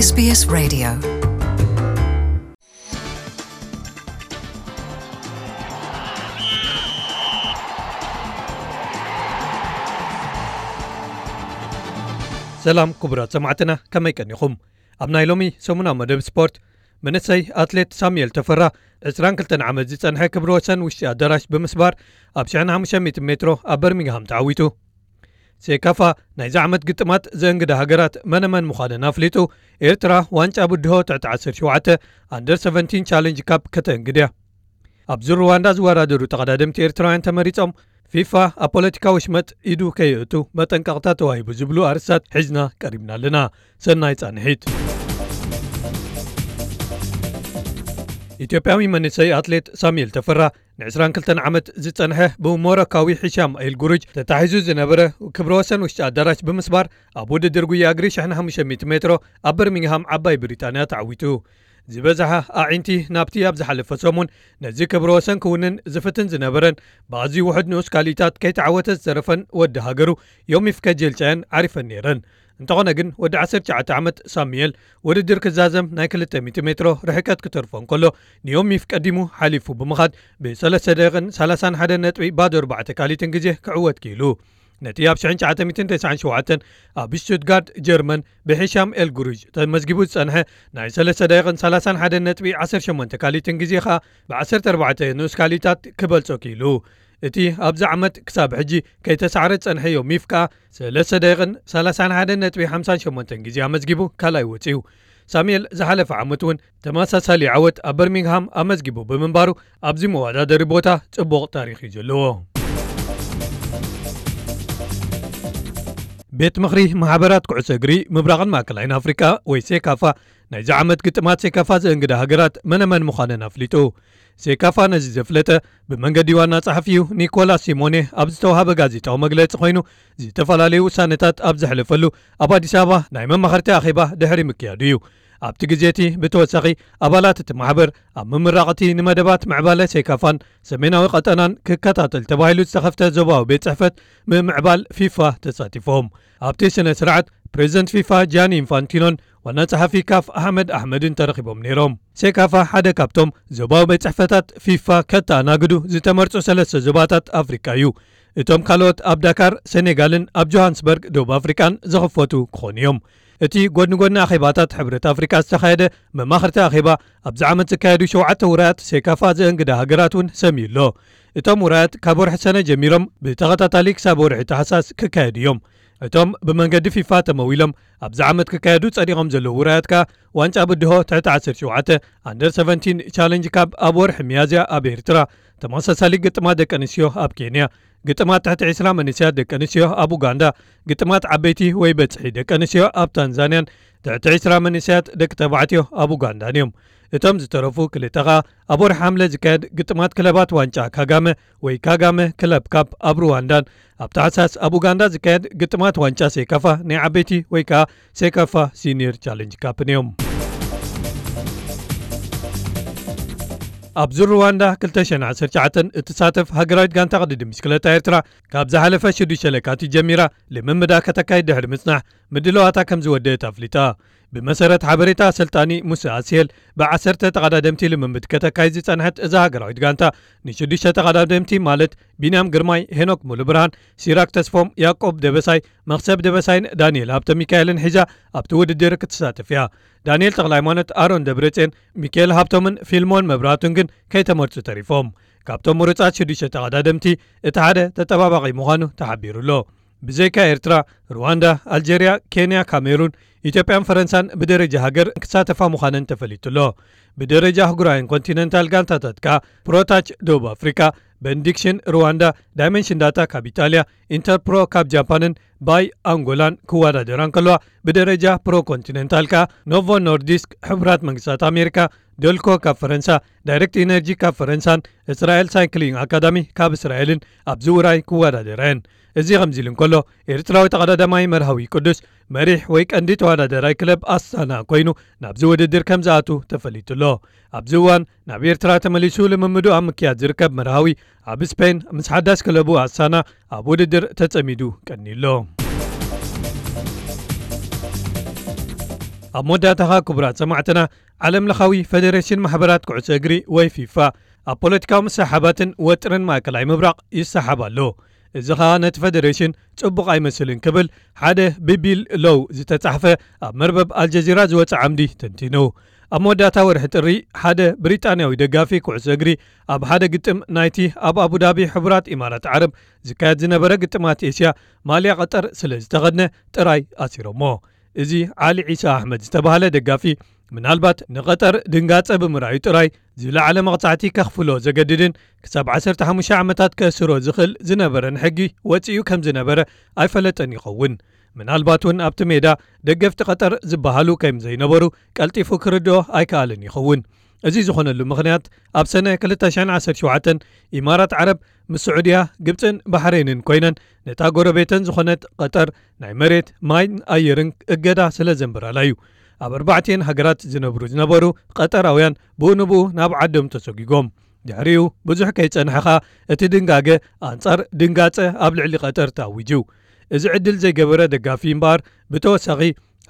SBS Radio. ሰላም ክቡራት ሰማዕትና፣ ከመይ ቀኒኹም? ኣብ ናይ ሎሚ ሰሙናዊ መደብ ስፖርት፣ መንእሰይ ኣትሌት ሳሙኤል ተፈራ፣ ዕስራን ክልተን ዓመት ዝጸንሐ ክብረ ወሰን ውሽጢ ኣዳራሽ ብምስባር፣ ኣብ ሽሕን ሓሙሽተ ሚእትን ሜትሮ ኣብ በርሚንግሃም ተዓዊቱ። ሴካፋ ናይዚ ዓመት ግጥማት ዘእንግዳ ሃገራት መነመን ምዃነን ኣፍሊጡ፣ ኤርትራ ዋንጫ ብድሆ ትሕቲ ዓሰርተ ሸውዓተ ኣንደር ሰቨንቲን ቻለንጅ ካፕ ከተእንግድ እያ። ኣብ ዙር ሩዋንዳ ዝወዳደሩ ተቐዳደምቲ ኤርትራውያን ተመሪጾም፣ ፊፋ ኣብ ፖለቲካዊ ሽመጥ ኢዱ ከየእቱ መጠንቀቕታ ተዋሂቡ ዝብሉ ኣርእስታት ሒዝና ቀሪብና ኣለና። ሰናይ ጻንሒት። ኢትዮጵያዊ መንእሰይ ኣትሌት ሳሙኤል ተፈራ፣ ንዕስራን ክልተን ዓመት ዝጸንሐ ብሞሮካዊ ሂሻም ኤል ጉሩጅ ተታሒዙ ዝነበረ ክብረ ወሰን ውሽጢ ኣዳራሽ ብምስባር፣ ኣብ ውድድር ጉያ እግሪ ሽሕን ሓሙሽተ ሚእቲ ሜትሮ ኣብ በርሚንግሃም ዓባይ ብሪጣንያ ተዓዊቱ። ዝበዝሓ ኣዒንቲ ናብቲ ኣብ ዝሓለፈ ሰሙን ነዚ ክብረ ወሰን ክውንን ዝፍትን ዝነበረን ብኣዝዩ ውሑድ ንኡስ ካልኢታት ከይተዓወተ ዝተረፈን ወዲ ሃገሩ ዮሚፍ ከጀልቻያን ዓሪፈን ነይረን። እንተኾነ ግን፣ ወዲ ዓሰርተ ትሽዓተ ዓመት ሳሙኤል ውድድር ክዛዘም ናይ ክልተ ሚእቲ ሜትሮ ርሕቀት ክተርፎ እንከሎ፣ ንዮሚፍ ቀዲሙ ሓሊፉ ብምኻድ፣ ብሰለስተ ደቂቕን ሰላሳን ሓደ ነጥቢ ባዶ ኣርባዕተ ካልኢትን ግዜ ክዕወት ክኢሉ። ነቲ ኣብ ሽሕን ትሽዓተ ሚእትን ተስዓን ሸውዓተን ኣብ ሽቱትጋርት ጀርመን ብሂሻም ኤል ጉሩጅ ተመዝጊቡ ዝጸንሐ ናይ ሰለስተ ደቂቕን ሰላሳን ሓደ ነጥቢ ዓሰርተ ሸሞንተ ካልኢትን ግዜ ኸኣ ብዓሰርተ ኣርባዕተ ንኡስ ካልኢታት ክበልጾ ክኢሉ። እቲ ኣብዚ ዓመት ክሳብ ሕጂ ከይተሳዕረ ዝጸንሐ ዮሚፍ ከኣ ሰለስተ ደቂቕን ሰላሳን ሓደ ነጥቢ ሓምሳን ሸሞንተን ግዜ ኣመዝጊቡ ካልኣይ ወጺኡ። ሳሙኤል ዝሓለፈ ዓመት እውን ተመሳሳሊ ዓወት ኣብ በርሚንግሃም ኣመዝጊቡ ብምንባሩ፣ ኣብዚ መወዳደሪ ቦታ ጽቡቕ ታሪኽ እዩ ዘለዎ። ቤት ምኽሪ ማሕበራት ኩዕሶ እግሪ ምብራቕን ማእከላይን ኣፍሪቃ ወይ ሴካፋ፣ ናይዚ ዓመት ግጥማት ሴካፋ ዘእንግዳ ሃገራት መነመን ምዃነን ኣፍሊጡ። ሴካፋ ነዚ ዘፍለጠ ብመንገዲ ዋና ጸሓፊኡ ኒኮላስ ሲሞኔ ኣብ ዝተዋሃበ ጋዜጣዊ መግለጺ ኮይኑ፣ ዝተፈላለዩ ውሳነታት ኣብ ዘሕለፈሉ ኣብ ኣዲስ ኣበባ ናይ መማኸርቲ ኣኼባ ድሕሪ ምክያዱ እዩ። ኣብቲ ግዜ እቲ ብተወሳኺ፣ ኣባላት እቲ ማሕበር ኣብ ምምራቕ እቲ ንመደባት ምዕባለ ሴካፋን ሰሜናዊ ቀጠናን ክከታተል ተባሂሉ ዝተኸፍተ ዞባዊ ቤት ጽሕፈት ምምዕባል ፊፋ ተሳቲፎም። ኣብቲ ስነ ስርዓት፣ ፕሬዚደንት ፊፋ ጃኒ ኢንፋንቲኖን ዋና ጸሓፊ ካፍ ኣሕመድ ኣሕመድን ተረኺቦም ነይሮም። ሴካፋ ሓደ ካብቶም ዞባዊ ቤት ጽሕፈታት ፊፋ ከተኣናግዱ ዝተመርጹ ሰለስተ ዞባታት ኣፍሪቃ እዩ። እቶም ካልኦት ኣብ ዳካር፣ ሴኔጋልን ኣብ ጆሃንስበርግ፣ ደቡብ ኣፍሪቃን ዝኽፈቱ ክኾኑ እዮም። እቲ ጎድኒ ጎድኒ ኣኼባታት ሕብረት ኣፍሪቃ ዝተኻየደ መማኽርቲ ኣኼባ፣ ኣብዚ ዓመት ዝካየዱ ሸውዓተ ውራያት ሴካፋ ዘእንግዳ ሃገራት እውን ሰምዩ ኣሎ። እቶም ውራያት ካብ ወርሒ ሰነ ጀሚሮም ብተኸታታሊ ክሳብ ወርሒ ታሕሳስ ክካየዱ እዮም። እቶም ብመንገዲ ፊፋ ተመዊሎም ኣብዚ ዓመት ክካየዱ ጸዲቖም ዘለዉ ውራያት ከኣ ዋንጫ ብድሆ ትሕቲ ዓሰርተ ሸውዓተ ኣንደር ሰቨንቲን ቻለንጅ ካፕ ኣብ ወርሒ ሚያዝያ ኣብ ኤርትራ፣ ተመሳሳሊ ግጥማት ደቂ ኣንስትዮ ኣብ ኬንያ፣ ግጥማት ትሕቲ ዕስራ መንእሰያት ደቂ ኣንስትዮ ኣብ ኡጋንዳ፣ ግጥማት ዓበይቲ ወይ በጽሒ ደቂ ኣንስትዮ ኣብ ታንዛንያን ትሕቲ ዕስራ መንእሰያት ደቂ ተባዕትዮ ኣብ ኡጋንዳን እዮም። እቶም ዝተረፉ ክልተ ኸኣ ኣብ ወርሒ ሓምለ ዝካየድ ግጥማት ክለባት ዋንጫ ካጋመ ወይ ካጋመ ክለብ ካፕ ኣብ ሩዋንዳን ኣብ ታሕሳስ ኣብ ኡጋንዳ ዝካየድ ግጥማት ዋንጫ ሴካፋ ናይ ዓበይቲ ወይ ከኣ ሴካፋ ሲኒየር ቻለንጅ ካፕን እዮም። ኣብ ዙር ሩዋንዳ ክልተ ሽሕን ዓሰርተ ትሽዓተን እትሳተፍ ሃገራዊት ጋንታ ቅድድም ብሽክለታ ኤርትራ፣ ካብ ዝሓለፈ ሽዱሽተ ለካቲት ጀሚራ ልምምዳ ከተካይድ ድሕሪ ምጽናሕ፣ ምድላዋታ ከም ዝወደአት ኣፍሊጣ። ብመሰረት ሓበሬታ ኣሰልጣኒ ሙሴ ኣስሄል፣ ብዓሰርተ ተቐዳደምቲ ልምምድ ከተካይድ ዝጸንሐት እዛ ሃገራዊት ጋንታ፣ ንሽዱሽተ ተቐዳደምቲ ማለት ቢንያም ግርማይ፣ ሄኖክ ሙሉብርሃን፣ ሲራክ ተስፎም፣ ያዕቆብ ደበሳይ፣ መኽሰብ ደበሳይን ዳንኤል ሃብተ ሚካኤልን ሒዛ ኣብቲ ውድድር ክትሳተፍ እያ። ዳንኤል ተኽለሃይማኖት፣ ኣሮን ደብረጽዮን፣ ሚካኤል ሃብቶምን ፊልሞን መብራህቱን ግን ከይተመርጹ ተሪፎም። ካብቶም ምሩጻት ሽዱሽተ ተቐዳደምቲ እቲ ሓደ ተጠባባቒ ምዃኑ ተሓቢሩ ኣሎ። ብዘይካ ኤርትራ፣ ሩዋንዳ፣ ኣልጀርያ፣ ኬንያ፣ ካሜሩን፣ ኢትዮጵያን ፈረንሳን ብደረጃ ሃገር ክሳተፋ ምዃነን ተፈሊጡ ኣሎ። ብደረጃ ኣህጉራውያን ኮንቲነንታል ጋንታታት ከኣ ፕሮታች ደቡብ ኣፍሪቃ፣ በንዲክሽን ሩዋንዳ፣ ዳይመንሽን ዳታ ካብ ኢጣልያ፣ ኢንተርፕሮ ካብ ጃፓንን ባይ ኣንጎላን ክወዳደራ እንከለዋ፣ ብደረጃ ፕሮ ኮንቲነንታል ከኣ ኖቮ ኖርዲስክ ሕቡራት መንግስታት ኣሜሪካ፣ ደልኮ ካብ ፈረንሳ፣ ዳይሬክት ኢነርጂ ካብ ፈረንሳን እስራኤል ሳይክሊንግ ኣካዳሚ ካብ እስራኤልን ኣብዚ ውራይ ክወዳደራ እየን። እዚ ከምዚ ኢሉ እንከሎ፣ ኤርትራዊ ተቐዳዳማይ መርሃዊ ቅዱስ መሪሕ ወይ ቀንዲ ተወዳዳራይ ክለብ ኣስታና ኮይኑ ናብዚ ውድድር ከም ዝኣቱ ተፈሊጡ ኣሎ። ኣብዚ እዋን ናብ ኤርትራ ተመሊሱ ልምምዱ ኣብ ምክያድ ዝርከብ መርሃዊ፣ ኣብ ስፔን ምስ ሓዳስ ክለቡ ኣስታና ኣብ ውድድር ተጸሚዱ ቀንዩ ኣሎ። ኣብ መወዳእታኻ ክቡራት ሰማዕትና፣ ዓለም ለኻዊ ፈደሬሽን ማሕበራት ኩዕሶ እግሪ ወይ ፊፋ ኣብ ፖለቲካዊ ምሳሓባትን ወጥርን ማእከላይ ምብራቕ ይሰሓብ ኣሎ። እዚ ኸኣ ነቲ ፈደሬሽን ጽቡቕ ኣይመስልን ክብል ሓደ ብቢል ሎው ዝተጻሕፈ ኣብ መርበብ ኣልጀዚራ ዝወጸ ዓምዲ ተንቲኑ። ኣብ መወዳእታ ወርሒ ጥሪ ሓደ ብሪጣንያዊ ደጋፊ ኩዕሶ እግሪ ኣብ ሓደ ግጥም ናይቲ ኣብ ኣቡዳቢ ሕቡራት ኢማራት ዓረብ ዝካየድ ዝነበረ ግጥማት ኤስያ ማልያ ቀጠር ስለ ዝተኸድነ ጥራይ ኣሲሮሞ። እዚ ዓሊ ዒሳ ኣሕመድ ዝተባህለ ደጋፊ ምናልባት ንቐጠር ድንጋጸ ብምርኣዩ ጥራይ ዝለዓለ መቕጻዕቲ ከኽፍሎ ዘገድድን ክሳብ ዓሰርተ ሓሙሽተ ዓመታት ከእስሮ ዝኽእል ዝነበረን ሕጊ ወጺኡ ከም ዝነበረ ኣይፈለጠን ይኸውን። ምናልባት እውን ኣብቲ ሜዳ ደገፍቲ ቀጠር ዝበሃሉ ከም ዘይነበሩ ቀልጢፉ ክርድኦ ኣይከኣልን ይኸውን። እዚ ዝኾነሉ ምኽንያት ኣብ ሰነ ክልተ ሽሕን ዓሰርተ ሸውዓተን ኢማራት ዓረብ ምስ ስዑድያ፣ ግብጽን ባሕሬንን ኮይነን ነታ ጎረቤተን ዝኾነት ቀጠር ናይ መሬት፣ ማይን ኣየርን እገዳ ስለ ዘንበራላ እዩ። ኣብ ኣርባዕቲኤን ሃገራት ዝነብሩ ዝነበሩ ቀጠራውያን ብኡ ንብኡ ናብ ዓዶም ተሰጒጎም። ድሕሪኡ ብዙሕ ከይጸንሐ ኸኣ እቲ ድንጋገ ኣንጻር ድንጋጸ ኣብ ልዕሊ ቀጠር ተኣዊጁ። እዚ ዕድል ዘይገበረ ደጋፊ እምበኣር ብተወሳኺ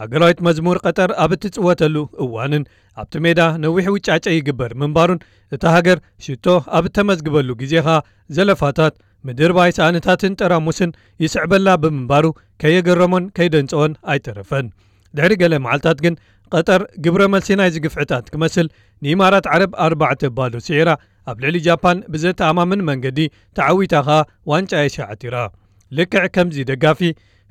ሃገራዊት መዝሙር ቀጠር ኣብ እትጽወተሉ እዋንን ኣብቲ ሜዳ ነዊሕ ውጫጨ ይግበር ምንባሩን እታ ሃገር ሽቶ ኣብ እተመዝግበሉ ግዜ ኸኣ ዘለፋታት፣ ምድርባይ ሳእንታትን ጠራሙስን ይስዕበላ ብምንባሩ ከየገረሞን ከይደንጸወን ኣይተረፈን። ድሕሪ ገለ መዓልታት ግን ቀጠር ግብረ መልሲ ናይዚ ግፍዕታት ክመስል ንኢማራት ዓረብ ኣርባዕተ ባዶ ስዒራ ኣብ ልዕሊ ጃፓን ብዘተኣማምን መንገዲ ተዓዊታ ኸኣ ዋንጫ ኤስያ ዓቲራ። ልክዕ ከምዚ ደጋፊ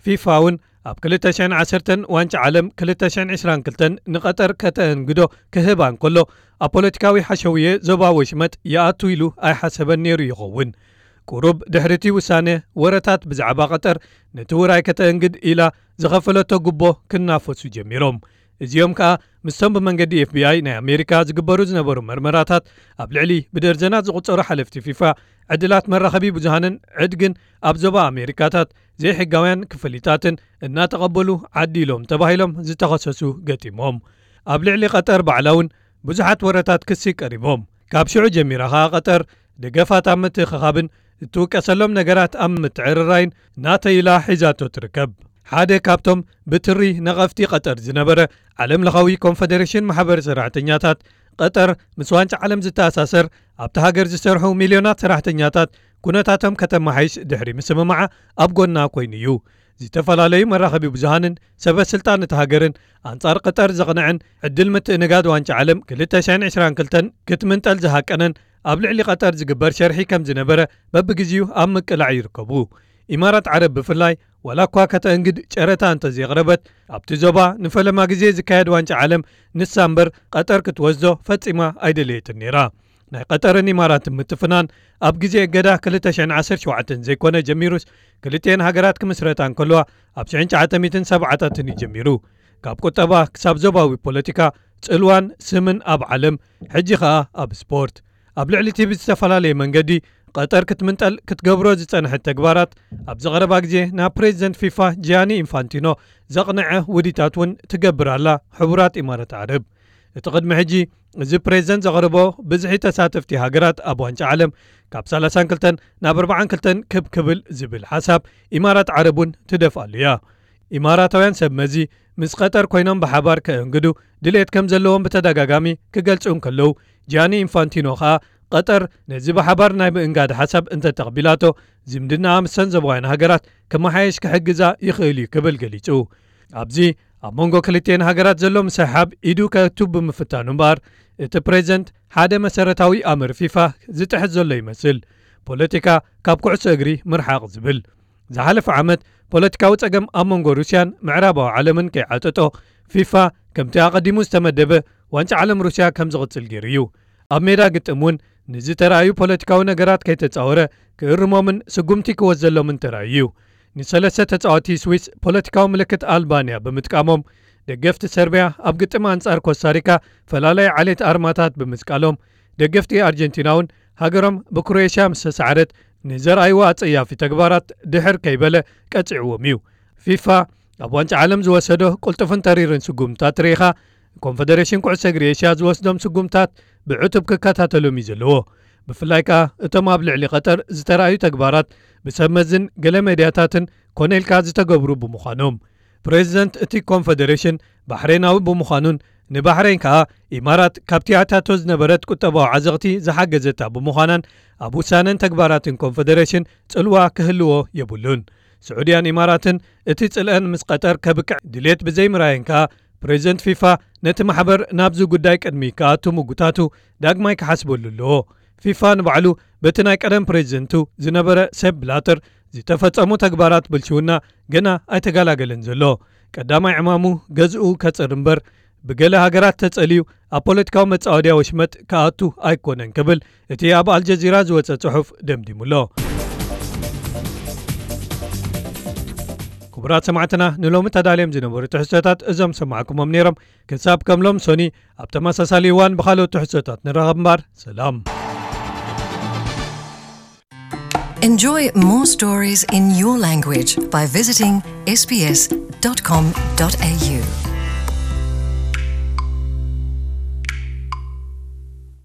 ፊፋ እውን ኣብ ክልተ ሽሕን ዓሰርተን ዋንጫ ዓለም ክልተ ሽሕን ዕስራን ክልተን ንቐጠር ከተእንግዶ ክህባ እንከሎ ኣብ ፖለቲካዊ ሓሸውየ ዞባ ወሽመጥ ይኣቱ ኢሉ ኣይሓሰበን ነይሩ ይኸውን። ቁሩብ ድሕሪ እቲ ውሳነ ወረታት ብዛዕባ ቀጠር ነቲ ውራይ ከተእንግድ ኢላ ዝኸፈለቶ ጉቦ ክናፈሱ ጀሚሮም። እዚኦም ከኣ ምስቶም ብመንገዲ ኤፍቢኣይ ናይ ኣሜሪካ ዝግበሩ ዝነበሩ መርመራታት ኣብ ልዕሊ ብደርዘናት ዝቑጸሩ ሓለፍቲ ፊፋ፣ ዕድላት መራኸቢ ብዙሃንን ዕድግን ኣብ ዞባ ኣሜሪካታት ዘይሕጋውያን ክፍሊታትን እናተቐበሉ ዓዲሎም ተባሂሎም ዝተኸሰሱ ገጢሞም። ኣብ ልዕሊ ቀጠር ባዕላ እውን ብዙሓት ወረታት ክሲ ቀሪቦም። ካብ ሽዑ ጀሚራ ኸኣ ቀጠር ደገፋት ኣብ ምትእኽኻብን እትውቀሰሎም ነገራት ኣብ ምትዕርራይን ናተይ ኢላ ሒዛቶ ትርከብ። ሓደ ካብቶም ብትሪ ነቐፍቲ ቀጠር ዝነበረ ዓለም ለኻዊ ኮንፈደሬሽን ማሕበር ሰራሕተኛታት፣ ቀጠር ምስ ዋንጫ ዓለም ዝተኣሳሰር ኣብቲ ሃገር ዝሰርሑ ሚልዮናት ሰራሕተኛታት ኩነታቶም ከተመሓይሽ ድሕሪ ምስምማዓ ኣብ ጎና ኮይኑ እዩ። ዝተፈላለዩ መራኸቢ ብዙሃንን ሰበ ስልጣን እቲ ሃገርን ኣንጻር ቀጠር ዘቕንዐን ዕድል ምትእንጋድ ዋንጫ ዓለም ክልተ ሽሕን ዕስራን ክልተን ክትምንጠል ዝሃቀነን ኣብ ልዕሊ ቀጠር ዝግበር ሸርሒ ከም ዝነበረ በብግዜኡ ኣብ ምቅላዕ ይርከቡ። ኢማራት ዓረብ ብፍላይ ዋላ እኳ ከተእንግድ ጨረታ እንተዘየቕረበት ኣብቲ ዞባ ንፈለማ ግዜ ዝካየድ ዋንጫ ዓለም ንሳ እምበር ቀጠር ክትወስዶ ፈጺማ ኣይደለየትን ነይራ። ናይ ቀጠርን ኢማራትን ምትፍናን ኣብ ግዜ እገዳ ክልተ ሽሕን ዓሰርተ ሸውዓተን ዘይኮነ ጀሚሩስ ክልቲኤን ሃገራት ክምስረታ እንከለዋ ኣብ ሽሕን ትሽዓተ ሚእትን ሰብዓታትን እዩ ጀሚሩ። ካብ ቁጠባ ክሳብ ዞባዊ ፖለቲካ፣ ጽልዋን ስምን ኣብ ዓለም፣ ሕጂ ኸኣ ኣብ ስፖርት። ኣብ ልዕሊ እቲ ብዝተፈላለየ መንገዲ ቀጠር ክትምንጠል ክትገብሮ ዝጸንሐት ተግባራት ኣብዚ ቀረባ ግዜ ናብ ፕሬዚደንት ፊፋ ጂያኒ ኢንፋንቲኖ ዘቕንዐ ውዲታት እውን ትገብር ኣላ ሕቡራት ኢማራት ዓረብ። እቲ ቅድሚ ሕጂ እዚ ፕሬዚደንት ዘቕርቦ ብዝሒ ተሳተፍቲ ሃገራት ኣብ ዋንጫ ዓለም ካብ ሰላሳን ክልተን ናብ ኣርባዓን ክልተን ክብ ክብል ዝብል ሓሳብ ኢማራት ዓረብ እውን ትደፍኣሉ እያ። ኢማራታውያን ሰብ መዚ ምስ ቀጠር ኮይኖም ብሓባር ከእንግዱ ድሌት ከም ዘለዎም ብተደጋጋሚ ክገልጹ እንከለዉ፣ ጂያኒ ኢንፋንቲኖ ኸኣ ቀጠር ነዚ ብሓባር ናይ ምእንጋድ ሓሳብ እንተተቕቢላቶ ዝምድናኣ ምስተን ዞባውያን ሃገራት ክመሓየሽ ክሕግዛ ይኽእል እዩ ክብል ገሊጹ። ኣብዚ ኣብ መንጎ ክልቲኤን ሃገራት ዘሎ ምስሕሓብ ኢዱ ከእቱ ብምፍታኑ እምበኣር እቲ ፕሬዚደንት ሓደ መሰረታዊ ኣምር ፊፋ ዝጥሕስ ዘሎ ይመስል። ፖለቲካ ካብ ኩዕሶ እግሪ ምርሓቕ ዝብል። ዝሓለፈ ዓመት ፖለቲካዊ ጸገም ኣብ መንጎ ሩስያን ምዕራባዊ ዓለምን ከይዓጠጦ ፊፋ ከምቲ ኣቐዲሙ ዝተመደበ ዋንጫ ዓለም ሩስያ ከም ዝቕጽል ገይሩ እዩ። ኣብ ሜዳ ግጥም እውን ንዝተራእዩ ፖለቲካዊ ነገራት ከይተጻወረ ክእርሞምን ስጉምቲ ክወስደሎምን ተራእዩ እዩ። ንሰለስተ ተጻወቲ ስዊስ ፖለቲካዊ ምልክት ኣልባንያ ብምጥቃሞም ደገፍቲ ሰርቢያ ኣብ ግጥም ኣንጻር ኮስታሪካ ፈላላይ ዓሌት ኣርማታት ብምስቃሎም ደገፍቲ ኣርጀንቲና እውን ሃገሮም ብክሮኤሽያ ምስ ተሳዕረት ንዘርኣይዎ ኣጸያፊ ተግባራት ድሕር ከይበለ ቀጺዕዎም እዩ። ፊፋ ኣብ ዋንጫ ዓለም ዝወሰዶ ቅልጡፍን ተሪርን ስጉምታት ርኢኻ ኮንፈደሬሽን ኩዕሶ እግሪ ኤሽያ ዝወስዶም ስጉምታት ብዕቱብ ክከታተሎም እዩ ዘለዎ። ብፍላይ ከኣ እቶም ኣብ ልዕሊ ቀጠር ዝተራእዩ ተግባራት ብሰብ መዝን ገለ ሜድያታትን ኮነ ኢልካ ዝተገብሩ ብምዃኖም። ፕሬዚደንት እቲ ኮንፈደሬሽን ባሕሬናዊ ብምዃኑን ንባሕሬን ከኣ ኢማራት ካብቲ ኣታቶ ዝነበረት ቁጠባዊ ዓዘቕቲ ዝሓገዘታ ብምዃናን ኣብ ውሳነን ተግባራትን ኮንፈደሬሽን ጽልዋ ክህልዎ የብሉን። ስዑድያን ኢማራትን እቲ ጽልአን ምስ ቀጠር ከብቅዕ ድሌት ብዘይምራየን ከኣ ፕሬዚደንት ፊፋ ነቲ ማሕበር ናብዚ ጉዳይ ቅድሚ ክኣቱ ምጉታቱ ዳግማይ ክሓስበሉ ኣለዎ። ፊፋ ንባዕሉ በቲ ናይ ቀደም ፕሬዚደንቱ ዝነበረ ሴፕ ብላተር ዝተፈጸሙ ተግባራት ብልሽውና ገና ኣይተገላገለን ዘሎ። ቀዳማይ ዕማሙ ገዝኡ ከጽር እምበር ብገለ ሃገራት ተጸልዩ ኣብ ፖለቲካዊ መጻወድያ ወሽመጥ ክኣቱ ኣይኮነን ክብል እቲ ኣብ ኣልጀዚራ ዝወጸ ጽሑፍ ደምዲሙሎ። ክቡራት ሰማዕትና ንሎሚ ተዳልዮም ዝነበሩ ትሕዝቶታት እዞም ሰማዕኩሞም ነይሮም። ክሳብ ከም ሎም ሶኒ ኣብ ተመሳሳሊ እዋን ብኻልኦት ትሕዝቶታት ንራኸብ እምበር ሰላም። Enjoy more stories in your language by visiting sbs.com.au.